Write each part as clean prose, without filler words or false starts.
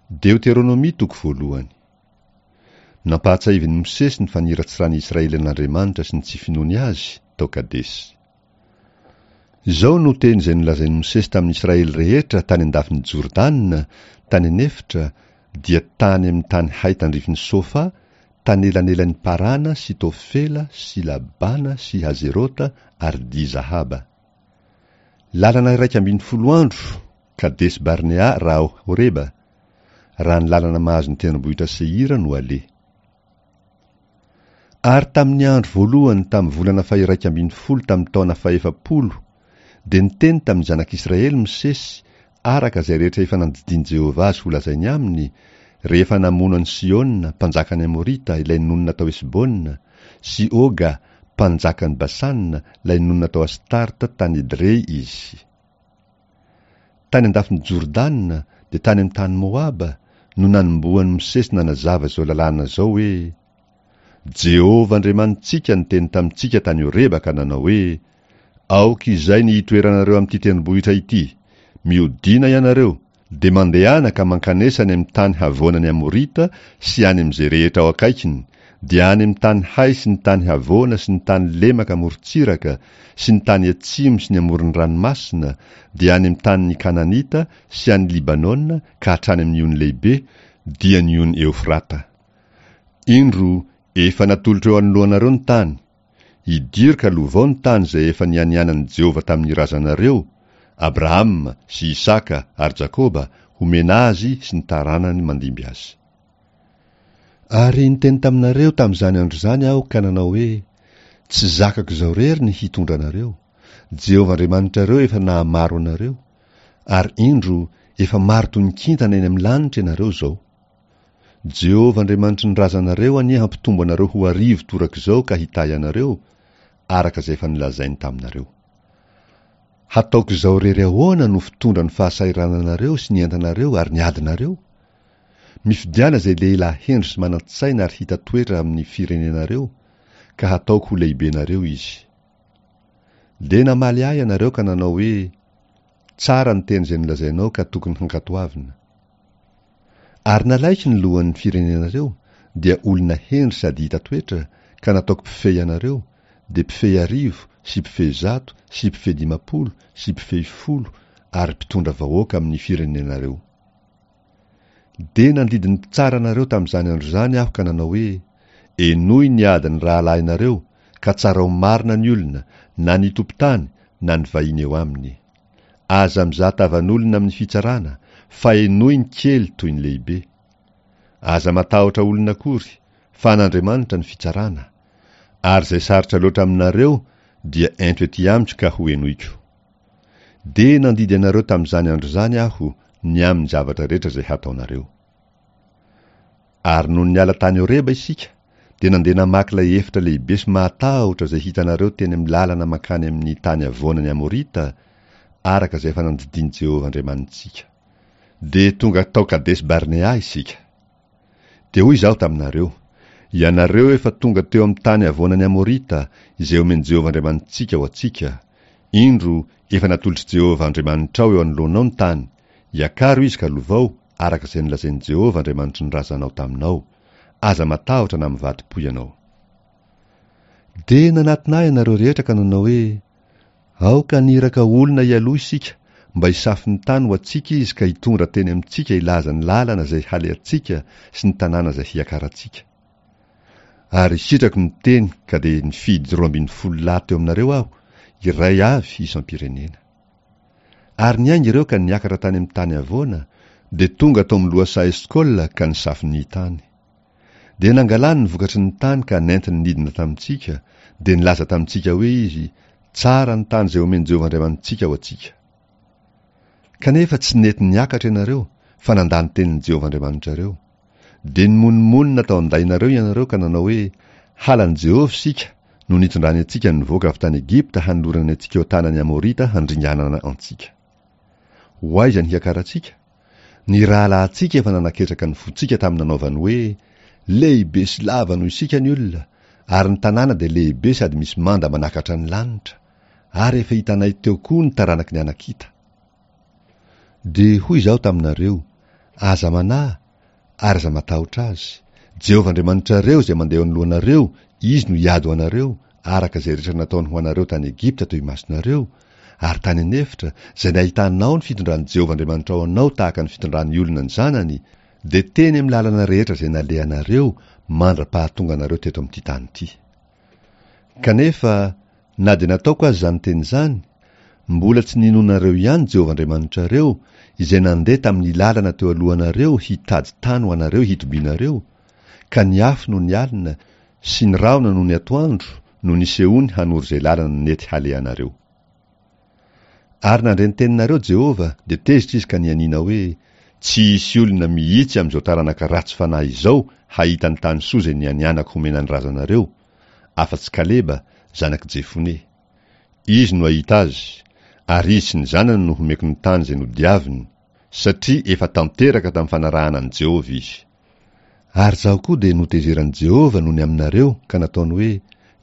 Deoteronomia toko voalohany. Nampahatsiahivin'i Mosesy ny faniratsiran'i Israely an'Andriamanitra sy ny tsy finoany Azy tao Kadesy. Izao no teny izay nolazain'i Mosesy tamin'i Israely rehetra tany an-dafin'i Jordana, tany an'efitra, dia tany amin'ny tany hay tandrifin'i Sofa, tanelanelan'i Parana sy Tofela sy Labana sy Hazerota ary Di-Zahaba. Lalana 11 andro, Kadesy Barnea raha ao Horeba, raha ny lalana mahazo ny tendrombohitra Seira no aleha. Ary tamin'ny andro voalohany tamin'ny volana faha-iraika ambin'ny folo tamin'ny taona fahefapolo, dia niteny tamin'ny zanak'Israely Mosesy araka izay rehetra efa nandidian'i Jehovah azy holazainy aminy, rehefa namono an'i Sihona, mpanjakan'ny Amorita, ilay nonina tao Hesbona, sy Oga, mpanjakan'i Basana, ilay nonina tao Astarta tany Edrey izy. Tany an-dafin'i Jordana, dia tany amin'ny tany Moaba, no nanombohan'i Mosesy nanazava izao lalàna izao hoe, Jehovah Andriamanitsika niteny tamintsika tany Horeba ka nanao hoe, Aoka izay ny hitoeranareo amin'ity tendrombohitra ity, mihodina ianareo, dia mandehana ka mankanesa any amin'ny tany havoanan'ny Amorita sy any amin'izay rehetra ao akaikiny, dia any amin'ny tany hay sy ny tany havoana sy ny tany lemaka amorontsiraka sy ny tany atsimo sy ny amoron'ny ranomasina, dia any amin'ny tanin'ny Kananita sy any Libanona ka hatrany amin'ny ony lehibe, dia ny ony Eofrata. Indro, efa natolotro eo anoloanareo ny tany. Idiro ka lovao ny tany izay efa nianianan'i Jehovah tamin'ny razanareo, Abrahama sy Isaka ary Jakoba, homena azy sy ny taranany mandimby azy. Ary niteny taminareo tamin'izany andro izany aho ka nanao hoe, Tsy zakako izao irery ny hitondra anareo, Jehovah Andriamanitrareo efa nahamaro anareo, ary indro, efa maro toy ny kintana eny amin'ny lanitra ianareo izao. Jehovah Andriamanitry ny razanareo anie hampitombo anareo ho arivo torak'izao ka hitahy anareo, araka izay efa nolazainy taminareo. Hataoko izao irery ahoana no fitondra ny fahasahirananareo sy ny entanareo ary ny adinareo? Mifidiana izay lehilahy hendry sy manan-tsaina ary hita toetra amin'ny firenenareo, ka hataoko ho lehibenareo izy. Dia namaly ahy ianareo ka nanao hoe, Tsara ny teny izay nolazainao ka tokony hankatoavina. Ary nalaiko ny lohan'ny firenenareo, dia olona hendry sady hita toetra, ka nataoko mpifehy anareo, dia mpifehy arivo sy mpifehy zato sy mpifehy 50 sy mpifehy folo ary mpitondra vahoaka amin'ny firenenareo. Dia nandidy ny mpitsara anareo tamin'izany andro izany aho ka nanao hoe, Henoy ny adin'ny rahalahinareo, ka tsarao marina ny olona, na ny tompon-tany na ny vahiny eo aminy. Aza mizaha tavan'olona amin'ny fitsarana, fa henoy ny kely toy ny lehibe. Aza matahotra olona akory, fa an'Andriamanitra ny fitsarana. Ary izay sarotra loatra aminareo dia ento ety amiko ka hohenoiko. Dia nandidy anareo tamin'izany andro izany aho ny amin'ny zavatra rehetra izay hataonareo. Ary nony niala tany Horeba isika, dia nandeha namaky ilay efitra lehibe sy mahatahotra izay hitanareo teny amin'ny lalana mankany amin'ny tany havoanan'ny Amorita, araka izay efa nandidian'i Jehovah Andriamanitsika. Dia tonga tao Kadesy-Barnea isika. Dia hoy izaho taminareo, Ianareo efa tonga teo amin'ny tany havoanan'ny Amorita, izay omen'i Jehovah Andriamanitsika ho antsika. Indro, efa natolotr'i Jehovah Andriamanitrao eo anoloanao ny tany, iakaro izy ka lovao, araka izay nolazain'i Jehovah Andriamanitry ny razanao taminao. Aza matahotra na mivadi-po ianao. Dia nanatona ahy ianareo rehetra ka nanao hoe, Aoka haniraka olona hialoha isika, mba hisafo ny tany ho antsika izy ka hitondra teny amintsika hilaza ny lalana izay halehantsika sy ny tanàna izay hiakarantsika. Ary sitrako ny teny ka dia nifidy 12 lahy teo aminareo aho, iray avy isam-pirenena. Ary niainga ireo ka niakatra tany amin'ny tany havoana, dia tonga tao amin'ny lohasaha Eskola ka nisafo ny tany. Dia nangalany ny vokatry ny tany ka nentiny nidina tamintsika, dia nilaza tamintsika hoe izy, Tsara ny tany izay omen'i Jehovah Andriamanitsika ho antsika. Kanefa tsy nety niakatra ianareo, fa nandà ny tenin'i Jehovah Andriamanitrareo. Dia nimonomonona tao an-dainareo ianareo ka nanao hoe, Halan'i Jehovah isika, no nitondrany antsika nivoaka avy tany Egypta hanolorany antsika eo an-tanan'ny Amorita handringanana antsika. Ho aiza ny hiakarantsika? Ny rahalahintsika efa nanaketraka ny fontsika tamin'ny nanaovany hoe, Lehibe sy lava noho isika ny olona, ary ny tanàna dia lehibe sady misy manda manakatra ny lanitra, ary efa hitanay teo koa ny taranaky ny Anakita. Dia hoy izaho taminareo, Aza manahy, ary aza matahotra azy. Jehovah Andriamanitrareo izay mandeha eo anoloanareo, Izy no hiady ho anareo, araka izay rehetra nataony ho anareo tany Egypta teo imasonareo, ary tany an'efitra, izay nahitanao ny fitondran'i Jehovah Andriamanitrao anao tahaka ny fitondran'ny olona ny zanany, dia teny amin'ny lalana rehetra izay nalehanareo mandra-pahatonga anareo teto amin'ity tany ity. Kanefa, na dia nataoko aza izany teny izany, mbola tsy ninoanareo ihany Jehovah Andriamanitrareo, izay nandeha tamin'ny lalana teo alohanareo hitady tany ho anareo hitobianareo, ka ny afo nony alina sy ny rahona nony atoandro no nisehoany hanoro izay lalana nety halehanareo. Ary nandre ny teninareo Jehovah, dia tezitra izy ka nianiana hoe, Tsy hisy olona mihitsy amin'izao taranaka ratsy fanahy izao hahita ny tany soa izay nianianako homena ny razanareo, afa-tsy Kaleba, zanak'i Jefone. Izy no hahita azy, ary izy sy ny zanany no homeko ny tany izay nodiaviny, satria efa tanteraka tamin'ny fanarahana an'i Jehovah izy. Ary izaho koa dia notezeran'i Jehovah noho ny aminareo ka nataony hoe,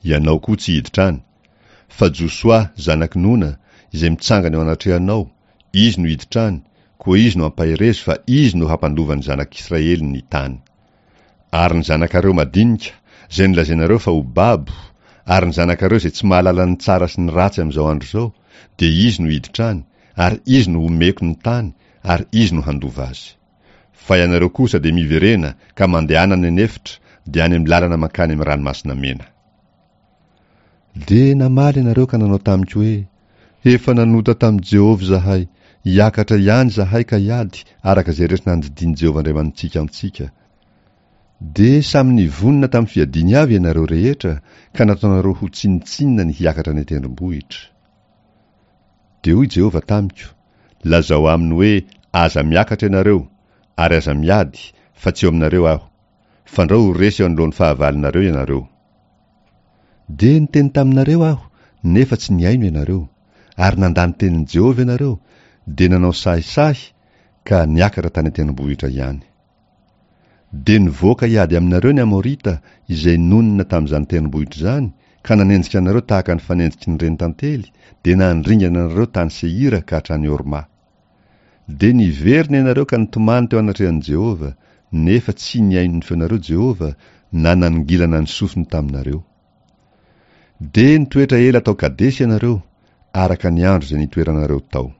Ianao koa tsy hiditra any. Fa Josoa, zanak'i Nona, izay mitsangana eo anatrehanao, izy no hiditra any, koa izy no ampaherezo fa izy no hampandova ny zanak'Israely ny tany. Ary ny zanakareo madinika, izay nolazainareo fa ho babo, ary ny zanakareo izay tsy mahalala ny tsara sy ny ratsy amin'izao andro izao, dia izy no hiditra any, ary izy no homeko ny tany, ary izy no handova azy. Fa ianareo kosa dia miverena ka mandehana any an'efitra, dia any amin'ny lalana mankany amin'ny Ranomasina Mena. Dia namaly ianareo ka nanao tamiko hoe, Efa nanota tamin'i Jehovah izahay, hiakatra ihany izahay ka hiady, araka izay rehetra nandidian'i Jehovah Andriamanitsika antsika. Dia samy nivonona tamin'ny fiadiany avy ianareo rehetra, ka nataonareo ho tsinontsinona ny hiakatra any an-tendrombohitra. Dia hoy Jehovah tamiko, Lazao aminy hoe, 'Aza miakatra ianareo, ary aza miady, fa tsy eo aminareo Aho. Fandrao ho resy eo anoloan'ny fahavalonareo ianareo. Dia niteny taminareo aho, nefa tsy nihaino ianareo. Ary nandà ny tenin'i Jehovah ianareo, dia nanao sahisahy ka niakatra tany an-tendrombohitra ihany. Dia nivoaka hiady aminareo ny Amorita izay nonina tamin'izany tendrombohitra izany, ka nanenjika anareo tahaka ny fanenjiky ny renintantely, dia nandringana anareo tany Seira ka hatrany Horma. Dia niverina ianareo ka nitomany teo anatrehan'i Jehovah, nefa tsy nihaino ny feonareo Jehovah, na nanongilana ny sofiny taminareo. Dia nitoetra ela tao Kadesy ianareo, araka ny andro izay nitoeranareo tao.